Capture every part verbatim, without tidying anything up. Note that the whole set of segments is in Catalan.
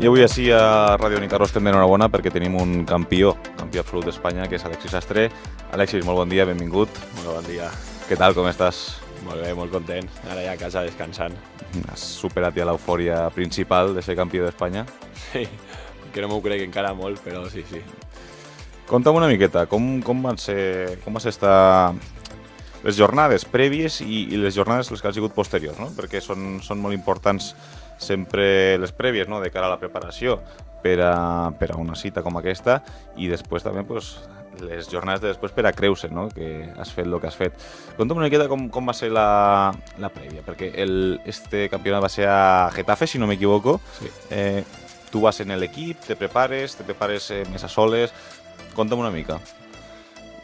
avui així a Ràdio Nicarro estem d'enhorabona perquè tenim un campió, campió absolut d'Espanya, que és Alexis Sastre. Alexis, molt bon dia, benvingut. Molt bon dia. Què tal, com estàs? Molt bé, molt content. Ara ja a casa descansant. Has superat ja l'eufòria principal de ser campió d'Espanya? Sí, que no m'ho crec encara molt, però sí, sí. Conta'm una miqueta, com, com van ser, com va ser estar les jornades prèvies i, i les jornades les que han sigut posteriors, no? Perquè són, són molt importants sempre les prèvies, no?, de cara a la preparació per a, per a una cita com aquesta, i després també pues, les jornades de després per a creure, no?, que has fet el que has fet. Conta'm una miqueta com, com va ser la, la prèvia, perquè el, este campionat va ser a Getafe, si no m'equivoco. Sí. Eh, tu vas en l'equip, te prepares, te prepares eh, més a soles. Conta'm una mica.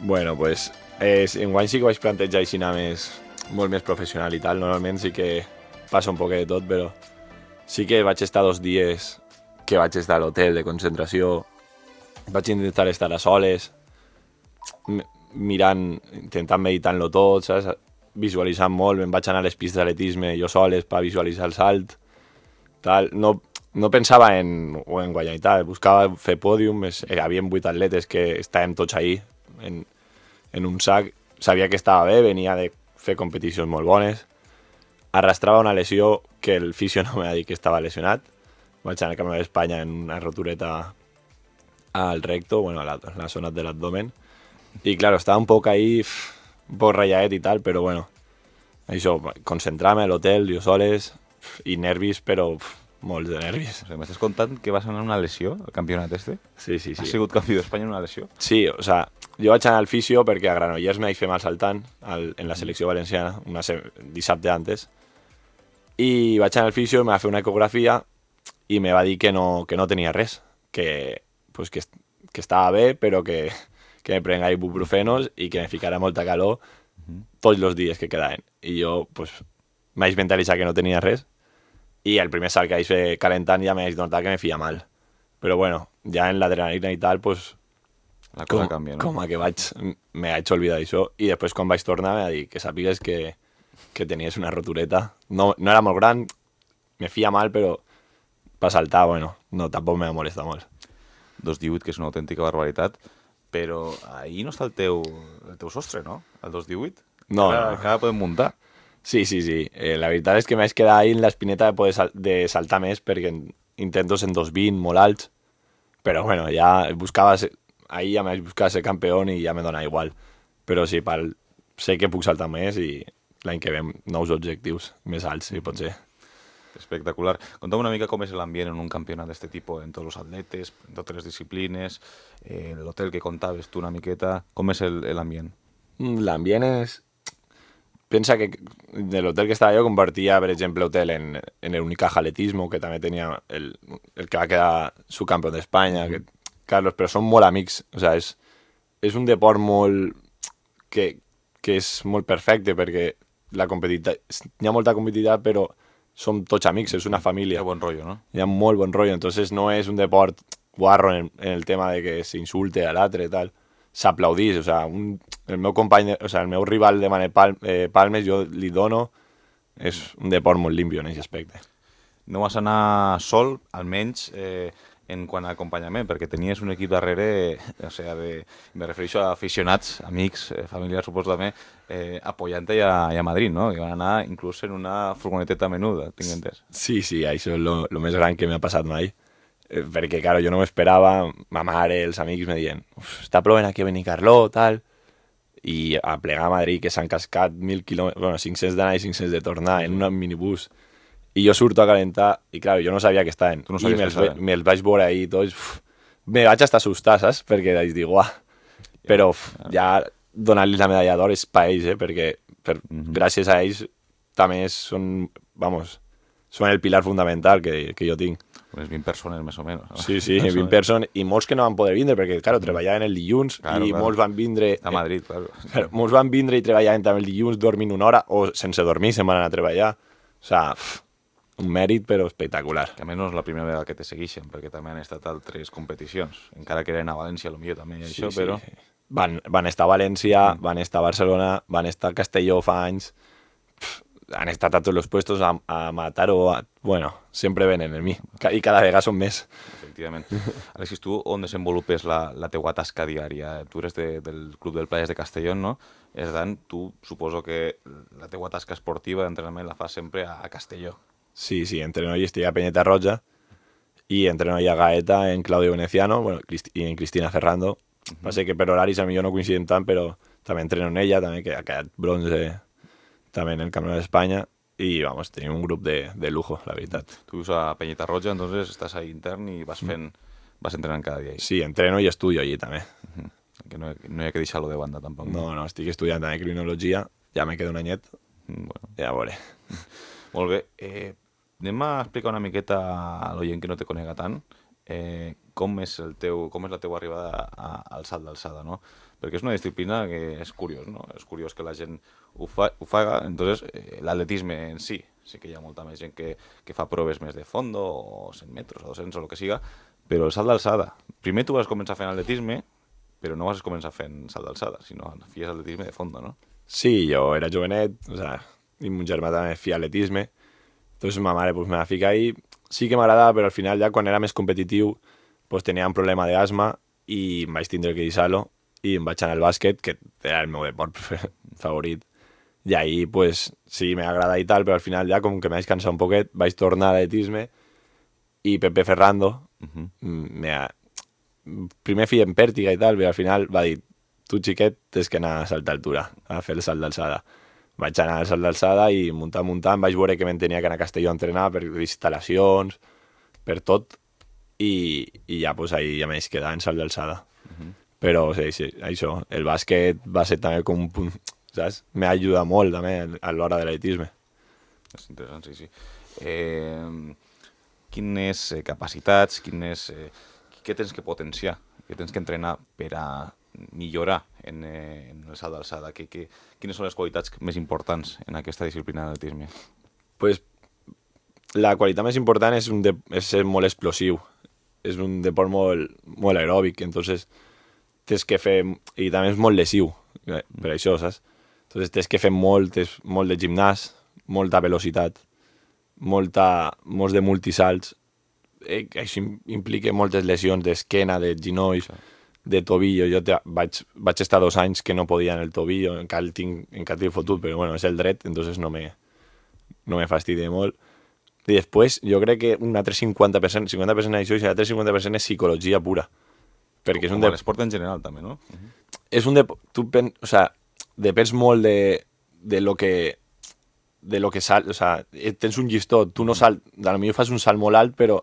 Bueno, pues, eh, enguany sí que vaig plantejar així anar més, molt més professional i tal. Normalment sí que passa un poquet de tot, però sí que vaig estar dos dies que vaig estar a l'hotel de concentració. Vaig intentar estar a soles, mirant, intentant meditant-lo tot, saps? Visualitzant molt. Me'n vaig anar a les pistes d'atletisme jo soles per visualitzar el salt. Tal. No, no pensava en, o en guanyar i tal, buscava fer pòdium. Hi havia vuit atletes que estàvem tots ahí, en, en un sac. Sabia que estava bé, venia de fer competicions molt bones. Arrastrava una lesió que el fisio no m'ha dit que estava lesionat. Vaig anar al Camp d'Espanya en una rotureta al recto, bueno, a la, a la zona de l'abdomen. I, claro, estava un poc ahí, un poc ralladet i tal, però, bueno, això, concentrar-me a l'hotel, jo soles, i nervis, però pf, molts de nervis. O sigui, m'estàs contant que vas anar a una lesió al campionat este? Sí, sí, sí. Has sigut campió d'Espanya en una lesió? Sí, o sea, jo vaig anar al fisio perquè a Granollers me vaig fer mal saltant al, en la selecció valenciana, una se dissabte antes, i vaig anar al fisio, me va fer una ecografia i me va dir que no, que no tenia res, que, pues, que, que estava bé, però que, que me prenga ibuprofenos i que me ficara molta calor tots els dies que quedaven. I jo, pues, me vaig mentalitzar que no tenia res, i el primer salt que vaig fer calentant ja me vaig notar que me feia mal. Però bueno, ja en l'adrenalina i tal, pues, la cosa com, canvia, no? com a que vaig, me vaig oblidar d'això, i després quan vaig tornar me va dir que sàpigues que, que tenies una rotureta. No, no era molt gran, me feia mal, però per saltar, bueno, no, tampoc me va molestar molt. dos divuit, que és una autèntica barbaritat, però ahir no està el teu, el teu sostre, no? El dos divuit? No, encara, no. encara podem muntar. Sí, sí, sí. Eh, la veritat és que m'haig quedat ahí en l'espineta de poder sal de saltar més perquè intento ser en dos vint, molt alts, però bueno, ja buscava ser, ahir ja m'haig buscat ser campió i ja me dona igual. Però sí, pel, sé que puc saltar més i l'any que ve nous objectius més alts, si pot ser. Espectacular. Conta'm una mica com és l'ambient en un campionat d'aquest tipus, en tots els atletes, en totes les disciplines, eh, l'hotel que contaves tu una miqueta, com és l'ambient? L'ambient és... Pensa que de l'hotel que estava jo compartia, per exemple, hotel en, en el Unicaja Atletismo, que també tenia el, el que va quedar subcampió d'Espanya, que, Carlos, però són molt amics. O sea, és, és un deport molt... que, que és molt perfecte, perquè la competitivitat... Hi ha molta competitivitat, però som tots amics, és una família. Hi ha bon rotllo, no? Hi ha molt bon rotllo, entonces no és un deport guarro en el, en el tema de que s'insulte a l'altre i tal. S'aplaudís, o sea, un, el meu company, o sea, el meu rival de Manet Pal, eh, Palmes, jo li dono, és un deport molt limpio en aquest aspecte. No vas anar sol, almenys eh, en quant a acompanyament, perquè tenies un equip darrere, o sea, de, me refereixo a aficionats, amics, eh, familiars, suposo també, eh, apoyant-te a, a Madrid, no? Que van anar inclús en una furgoneteta menuda, tinc entès. Sí, sí, això és lo, lo més gran que m'ha passat mai. Eh, perquè, claro, jo no m'esperava, ma mare, els amics me diuen, està plovent aquí a Benicarló, tal, i a plegar a Madrid, que s'han cascat mil quilòmetres, bueno, cinc-cents d'anar i cinc-cents de tornar en un minibús, i jo surto a calentar, i claro, jo no sabia que estaven, no i me'ls me vaig veure ahí tots, uf, me vaig estar assustar, saps? Perquè vaig dir, uah, però uf, ja donar-li la medalla d'or és per ells, eh? Perquè per, mm-hmm. gràcies a ells també són, vamos, són el pilar fundamental que, que jo tinc. Unes vint persones, més o menys. Sí, sí, vint persones, i molts que no van poder vindre, perquè, claro, treballaven el dilluns, claro, i claro. molts van vindre... A Madrid, claro. claro. Molts van vindre i treballaven també el dilluns, dormint una hora, o sense dormir se'n van anar a treballar. O sea, pff, un mèrit, però espectacular. Que a més no és la primera vegada que te segueixen, perquè també han estat altres competicions, encara que eren a València, potser també, sí, això, sí, però... Sí. Van, van estar a València, mm. van estar a Barcelona, van estar a Castelló fa anys... Pff, han estat a tots els puestos a, a matar o a... Bueno, sempre venen en mi, i cada vegada són més. Efectivament. Alexis, tu on desenvolupes la, la teua tasca diària? Tu eres de, del Club del Playas de Castellón, no? Per tant, tu suposo que la teua tasca esportiva d'entrenament la fas sempre a, a Castelló. Sí, sí, entreno y estoy a Peñeta Roja y entreno ahí a Gaeta en Claudio Veneciano, bueno, y en Cristina Ferrando. Uh-huh. Pasa que per horaris a mi no coinciden tant, però també entreno en ella, també que ha quedat bronze també en el Campionat d'Espanya y vamos, tenim un grup de, de lujo, la veritat. Tu vius a Peñeta Roja, entonces estàs ahí intern i vas fent, vas entrenant cada dia ahí. Sí, entreno i estudio allí també. Uh-huh. Que no, no hi ha que deixar-lo de banda tampoc. No, no, estic estudiant també criminologia, ja me queda un anyet, bueno. ja veuré. Molt bé, eh, anem a explicar una miqueta a l'oient que no te conega tant eh, com, és el teu, com és la teua arribada a, al salt d'alçada, no? Perquè és una disciplina que és curiós, no? És curiós que la gent ho, fa, ho faga, entonces eh, l'atletisme en si, sí que hi ha molta més gent que, que fa proves més de fondo, o cent metres, o dos-cents, o el que siga, però el salt d'alçada, primer tu vas començar fent atletisme, però no vas començar fent salt d'alçada, sinó fies atletisme de fondo, no? Sí, jo era jovenet, o sea, i mon germà també feia atletisme, entonces ma mare pues, me va ficar ahí. Sí que m'agradava, però al final ja quan era més competitiu pues, tenia un problema d'asma i em vaig tindre que deixar-lo i em vaig anar al bàsquet, que era el meu deport favorit. I ahí pues, sí, m'agrada i tal, però al final ja com que m'he cansat un poquet, vaig tornar a l'atletisme i Pepe Ferrando uh-huh. me ha... primer feia en pèrtiga i tal, però al final va dir tu xiquet tens que anar a saltar altura, a fer el salt d'alçada. Vaig anar al salt d'alçada i muntant, muntant, vaig veure que me'n tenia que anar a Castelló a entrenar per instal·lacions, per tot, i, i ja, pues, ahí ja m'haig quedat en salt d'alçada. Uh-huh. Però, sí, sí, això, el bàsquet va ser també com un punt, saps? M'ha ajudat molt, també, a l'hora de l'atletisme. És interessant, sí, sí. Eh, quines eh, capacitats, quines, eh, què tens que potenciar, què tens que entrenar per a millorar en, eh, en el salt d'alçada? Que, que, quines són les qualitats més importants en aquesta disciplina d'atletisme? Pues, la qualitat més important és, un de, és ser molt explosiu. És un deport molt, molt aeròbic, entonces tens que fer... I també és molt lesiu, per això, saps? Entonces tens que fer molt, tens molt de gimnàs, molta velocitat, molta, molts de multisalts. Eh, això implica moltes lesions d'esquena, de ginolls, de tobillo. Jo te, vaig, vaig estar dos anys que no podia en el tobillo, encara el tinc, encara tinc fotut, però bueno, és el dret, entonces no me, no me fastidie molt. I després, jo crec que un altre cinquanta per cent, cinquanta per cent d'això i l'altre cinquanta per cent és psicologia pura. Perquè és un Com de... l'esport en general, també, no? Uh-huh. És un de... Tu pen... o sea, depens molt de, de lo que... de lo que sal... O sea, tens un llistó, tu no salt... A lo millor fas un salt molt alt, però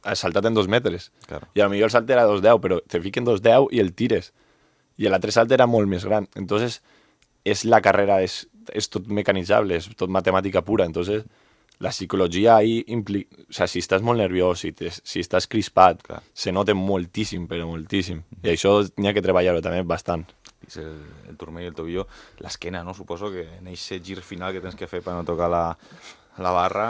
has saltat en dos metres. Claro. I a lo millor el salt era dos deu, però te fiquen dos deu i el tires. I l'altre salt era molt més gran. Entonces, és la carrera, és, és tot mecanitzable, és tot matemàtica pura. Entonces, la psicologia ahí implica... O sea, si estàs molt nerviós, si, te, si estàs crispat, clar, se nota moltíssim, però moltíssim. Mm-hmm. I això n'hi ha que treballar-ho també bastant. És el, el turmell i el tobillo, l'esquena, no? Suposo que en aquest gir final que tens que fer per no tocar la, la barra,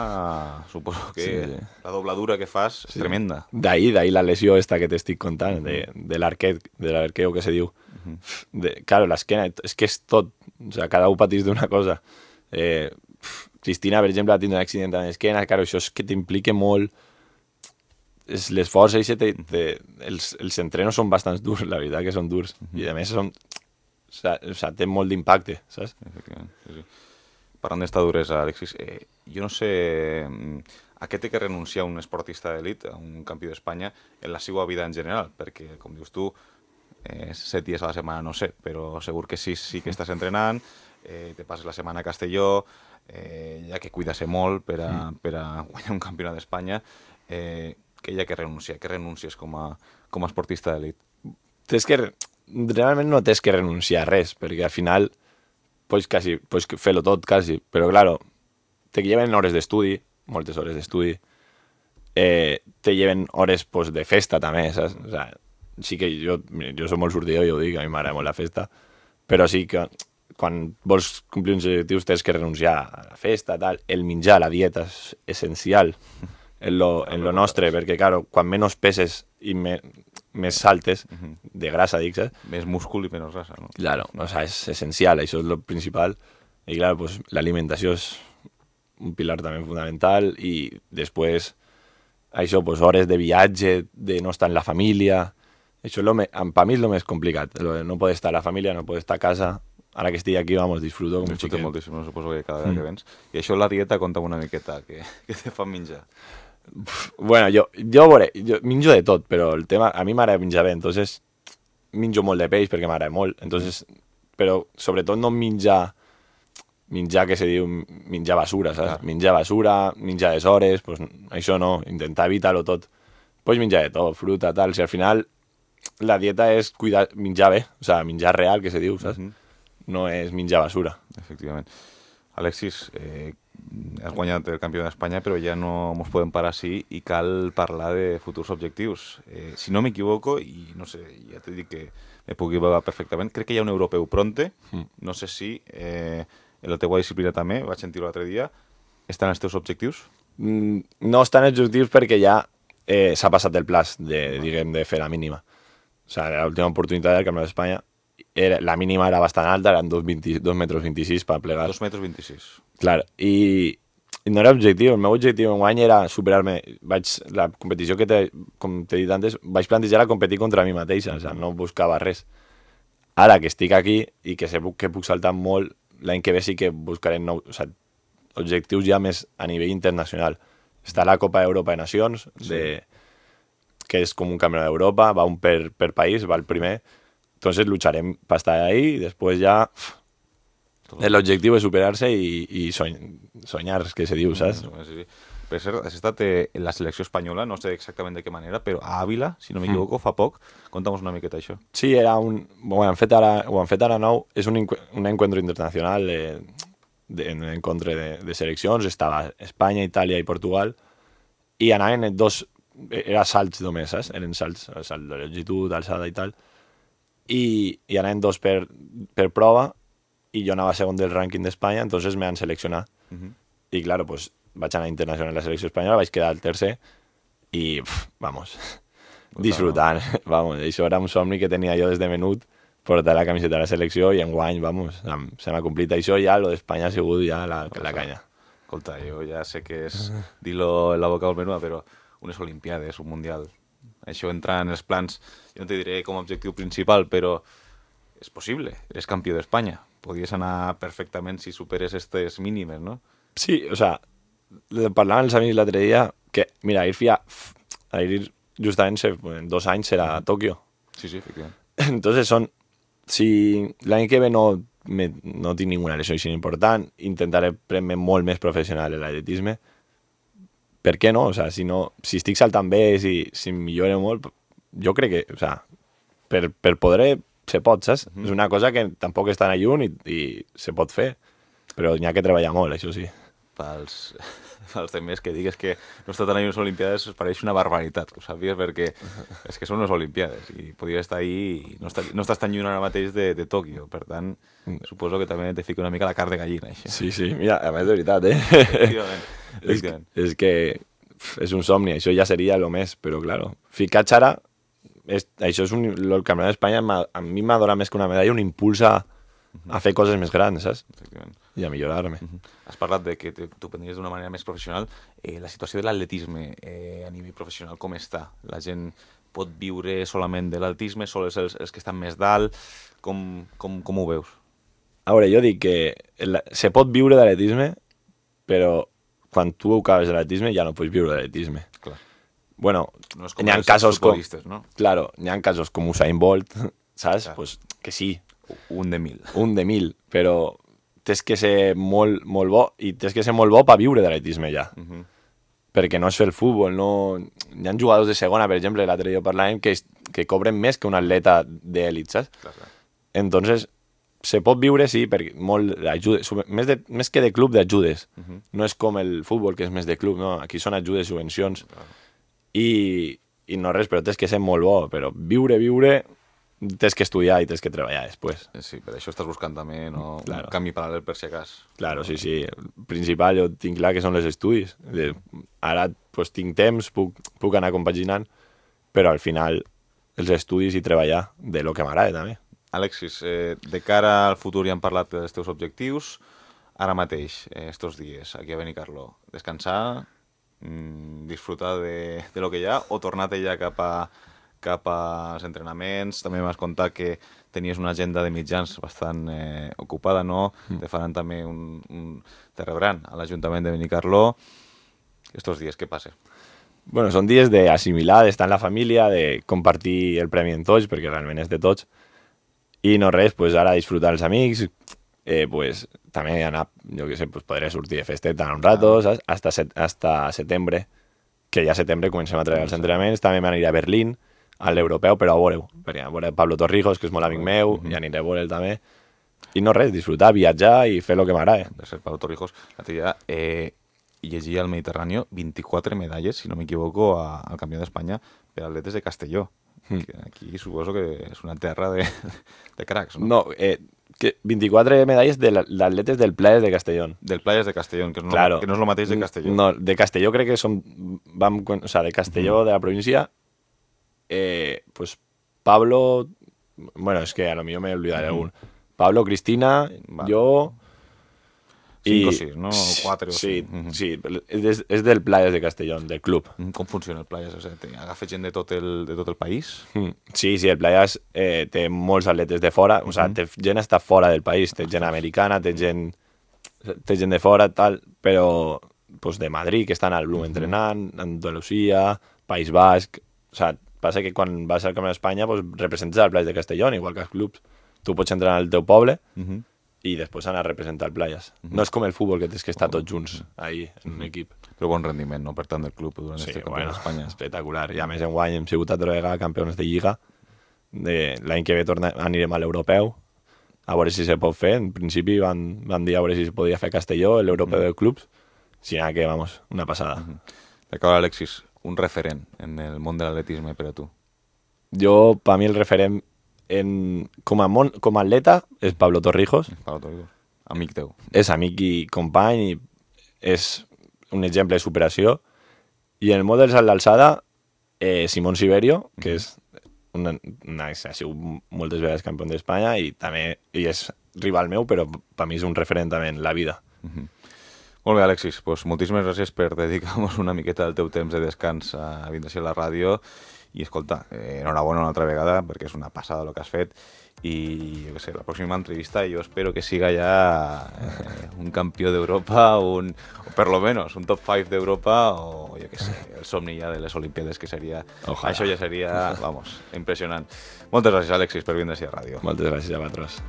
suposo que sí, la dobladura que fas és sí, tremenda. D'ahí, d'ahí la lesió esta que t'estic contant, de, de l'arquet, de l'arqueo que se diu. Uh-huh. De, claro, l'esquena, és que és tot, o sea, cada un patís d'una cosa. Eh, Cristina, per exemple, ha tingut un accident amb l'esquena, claro, això és que t'implica molt, l'esforç, els, els entrenos són bastant durs, la veritat que són durs, uh-huh, i a més són, o sigui, o sigui, té molt d'impacte, saps? Efectivament, sí, sí. Parlant d'esta duresa, Alexis, eh, jo no sé a què té que renunciar un esportista d'elit, un campió d'Espanya, en la seva vida en general, perquè, com dius tu, eh, set dies a la setmana no sé, però segur que sí, sí que estàs entrenant, eh, te passes la setmana a Castelló, eh, ja que cuida-se molt per a, per a guanyar un campionat d'Espanya, eh, que hi ha que renunciar, que renuncies com a, com a esportista d'elit? Tens que, realment no tens que renunciar a res, perquè al final pots, quasi, pots fer-lo tot, quasi, però claro, te lleven hores d'estudi, moltes hores d'estudi, eh, te lleven hores pues, de festa també, saps? O sea, sí que jo, jo soc molt sortidor, jo ho dic, a mi m'agrada molt la festa, però sí que quan vols complir uns objectius tens que renunciar a la festa, tal. El menjar, la dieta és essencial en lo, en lo nostre, perquè, claro, quan menys peses i me, més saltes, de grasa, dic, saps? Més múscul i menys grasa, no? Claro, o sea, és essencial, això és lo principal. I, claro, pues, l'alimentació és un pilar també fundamental, i després això, pues, hores de viatge, de no estar en la família, això és lo me, per mi és el més complicat, lo de no poder estar a la família, no poder estar a casa. Ara que estic aquí, vamos, disfruto com un Disfruto xiquet. moltíssim, no suposo que cada vegada mm. que vens. I això la dieta, conta'm una miqueta, que, que te fan menjar. Bueno, jo, jo, veure, jo minjo de tot, però el tema, a mi m'agrada menjar bé, entonces minjo molt de peix perquè m'agrada molt, entonces, però sobretot no menjar, menjar que se diu menjar basura, saps? Clar. Menjar basura, menjar les hores, pues, això no, intentar evitar-ho tot. Pots menjar de tot, fruta, tal, si al final la dieta és cuidar, menjar bé, o sea, menjar real, que se diu, saps? Mm -hmm. No és menjar basura. Efectivament. Alexis, eh, has guanyat el campió d'Espanya, però ja no ens podem parar així i cal parlar de futurs objectius. Eh, si no m'equivoco, i no sé, ja t'he dit que me puc equivocar perfectament, crec que hi ha un europeu pronte, mm. no sé si eh, en la teua disciplina també, vaig sentir-ho l'altre dia, estan els teus objectius? Mm, no estan els objectius perquè ja eh, s'ha passat el plaç de, diguem, de fer la mínima. O sigui, l'última oportunitat del campió d'Espanya, Era, la mínima era bastant alta, eren dos metres vint-i-sis per plegar. dos metres vint-i-sis. Clar, i, i no era objectiu. El meu objectiu en guany era superar-me. Vaig, la competició que, te, com t'he dit antes, vaig plantejar a competir contra mi mateixa, o sigui, no buscava res. Ara que estic aquí i que sé que puc saltar molt, l'any que ve sí que buscaré nou, o sigui, objectius ja més a nivell internacional. Està la Copa d'Europa de Nacions, de, sí. que és com un campionat d'Europa, va un per, per país, va el primer. Entonces lucharem para estar ahí y después ya pff, el objectiu és superar-se i, i soñ, soñar, que se diu, saps? Sí, sí. Per cert, has estat en la selecció espanyola, no sé exactament de què manera, però a Àvila, si no m'equivoco, mm. fa poc. Conta'm una miqueta això. Sí, era un... Bueno, han fet ara, ho han fet ara nou, és un, un encuentro internacional de, de, en encontre de, de seleccions, estava Espanya, Itàlia i Portugal, i anaven dos... Era salts només, saps? Eren salts, salt de longitud, alçada i tal, i, i anaven dos per, per prova i jo anava segon del rànquing d'Espanya, entonces me han seleccionat. Uh -huh. I claro, pues vaig anar internacional en la selecció espanyola, vaig quedar el tercer i, pff, vamos, pues disfrutant. No. Vamos, això era un somni que tenia jo des de menut, portar la camiseta de la selecció i enguany, vamos, se m'ha complit això ja, lo d'Espanya ha sigut ja la, pues la canya. Escolta, jo ja sé que és dir-lo en la boca del menú, però unes olimpiades, un mundial... Això entra en els plans, jo no te diré com a objectiu principal, però és possible, eres campió d'Espanya. Podries anar perfectament si superes aquestes mínimes, no? Sí, o sea, parlaven els amics l'altre dia que, mira, ir fia, a ir justament en dos anys serà a Tòquio. Sí, sí, efectivament. Entonces son, si l'any que ve no, me, no tinc ninguna lesió així important, intentaré prendre molt més professional l'atletisme. Per què no? O sea, si, no, si estic saltant bé, si, si em millore molt, jo crec que, o sea, per, per poder se pot, saps? Mm -hmm. És una cosa que tampoc està tan lluny i, i se pot fer, però n'hi ha que treballar molt, això sí. Pels, pels temes que digues que no està tan a unes olimpiades pareix una barbaritat, que ho sàpies, perquè és que són unes olimpiades i podria estar ahí i no, està, no estàs tan lluny ara mateix de, de Tòquio, per tant, suposo que també te fica una mica la carn de gallina, això. Sí, sí, mira, a més de veritat, eh? Efectivament. És, és que és un somni, això ja seria el més, però claro, ficar ara, és, això és un, el campionat d'Espanya a mi m'ha donat més que una medalla, un impuls a, a fer coses més grans, saps? Efectivament. I a millorar-me. Uh -huh. Has parlat de que tu prendries d'una manera més professional. Eh, la situació de l'atletisme eh, a nivell professional, com està? La gent pot viure solament de l'atletisme, sols els, els que estan més dalt? Com, com, com ho veus? A veure, jo dic que el, se pot viure d'atletisme, però quan tu acabes de l'atletisme ja no pots viure d'atletisme. Clar. Bueno, no és com n'hi ha els casos com, no? Claro, n'hi ha casos com Usain Bolt, saps? Clar. Pues que sí. Un de mil. Un de mil, però tens que ser molt, molt bo i tens que ser molt bo per viure d'atletisme ja. Uh -huh. Perquè no és fer el futbol, no... Hi ha jugadors de segona, per exemple, l'altre dia parlàvem, que, que cobren més que un atleta d'elit, saps? Clar, clar. Entonces, se pot viure, sí, perquè molt ajudes, més, de, més que de club, d'ajudes. Uh -huh. No és com el futbol, que és més de club, no? Aquí són ajudes, subvencions. Clar. I, i no res, però tens que ser molt bo, però viure, viure... Tens que estudiar i tens que treballar després. Sí, per això estàs buscant també no? Claro. Un canvi paral·lel per si acas. Claro, sí, sí. El principal jo tinc clar que són els estudis. Ara pues, tinc temps, puc, puc anar compaginant, però al final els estudis i treballar de lo que m'agrada també. Alexis, eh, de cara al futur ja hem parlat dels teus objectius. ara mateix, eh, estos dies, aquí a Benicarló? Descansar, mmm, disfrutar de, de lo que hi ha o tornar-te ja cap a cap als entrenaments? També m'has contat que tenies una agenda de mitjans bastant eh, ocupada, no? Mm. Te faran també un, un... te rebran a l'Ajuntament de Benicarló. Estos dies, què passa? Bueno, són dies d'assimilar, d'estar en la família, de compartir el premi en tots, perquè realment és de tots. I no res, pues ara disfrutar els amics, eh, pues també anar, jo què sé, pues podré sortir de festeta un rato, ah. saps? Hasta, set, hasta setembre, que ja a setembre comencem a treure els entrenaments, també m'aniré a Berlín, a l'europeu, però a veure-ho, perquè a veure Pablo Torrijos, que és molt amic meu, mm-hmm. i aniré a veure'l també. I no res, disfrutar, viatjar i fer el que m'agrada. De ser Pablo Torrijos, la tia, eh, llegia al Mediterrani vint-i-quatre medalles, si no m'equivoco, al Campió d'Espanya per atletes de Castelló. Mm. Que aquí suposo que és una terra de, de cracs, no? No, eh, que vint-i-quatre medalles d'atletes del Playas de Castellón. Del Playas de Castellón, que, no, claro. que no és el mateix de Castelló. No, de Castelló crec que són... Vam, o sea, de Castelló, mm. de la província, eh, pues Pablo... Bueno, es que a lo millor me olvidaré mm. algun. Pablo, Cristina, vale. Jo... Cinc o sis, no? O quatre o sí, cinc. Mm-hmm. Sí, és, és del Playas de Castellón, del club. Com funciona el Playas? O sigui, agafa gent de tot el, de tot el país? Mm. Sí, sí, el Playas eh, té molts atletes de fora, mm-hmm. o sigui, té gent està fora del país, té gent americana, té gent, té gent de fora, tal, però pues, de Madrid, que estan al Blum mm-hmm. entrenant, Andalusia, País Basc... O sigui, passa que quan vas al Camp d'Espanya pues, representes el Playas de Castellón, igual que els clubs. Tu pots entrenar al teu poble, mm-hmm. i després anar a representar el Playas. Mm-hmm. No és com el futbol, que tens que estar tots junts ahí, en un equip. Però bon rendiment, no?, per tant, del club durant sí, este bueno, Campionat d'Espanya. Espectacular. I a més, enguany hem sigut altra vegada campions de Lliga. De... L'any que ve torna... anirem a l'europeu, a veure si se pot fer. En principi van, van dir a veure si se podia fer a Castelló, l'europeu mm-hmm. de clubs. Si no, que, vamos, una passada. Mm-hmm. D'acaba, Alexis, un referent en el món de l'atletisme per a tu? Jo, per mi, el referent en... com, a mon... com a atleta és Pablo Torrijos. Pablo Torrijos. Amic teu. És amic i company i és un exemple de superació. I en el món del salt d'alçada, eh, Simón Siberio, que és una, una, ha sigut moltes vegades campió d'Espanya i també i és rival meu, però per mi és un referent també en la vida. Mm-hmm. Molt bé, Alexis, pues, moltíssimes gràcies per dedicar-nos una miqueta del teu temps de descans a vindre a la ràdio. I escolta, eh, enhorabona una altra vegada perquè és una passada el que has fet i jo què sé, la pròxima entrevista jo espero que siga ja eh, un campió d'Europa un, o per lo menos un top cinc d'Europa o jo què sé, el somni ja de les Olimpiades que seria, Ojalá. Això ja seria, vamos, impressionant. Moltes gràcies, Alexis, per vindre a la ràdio. Moltes gràcies a vosaltres.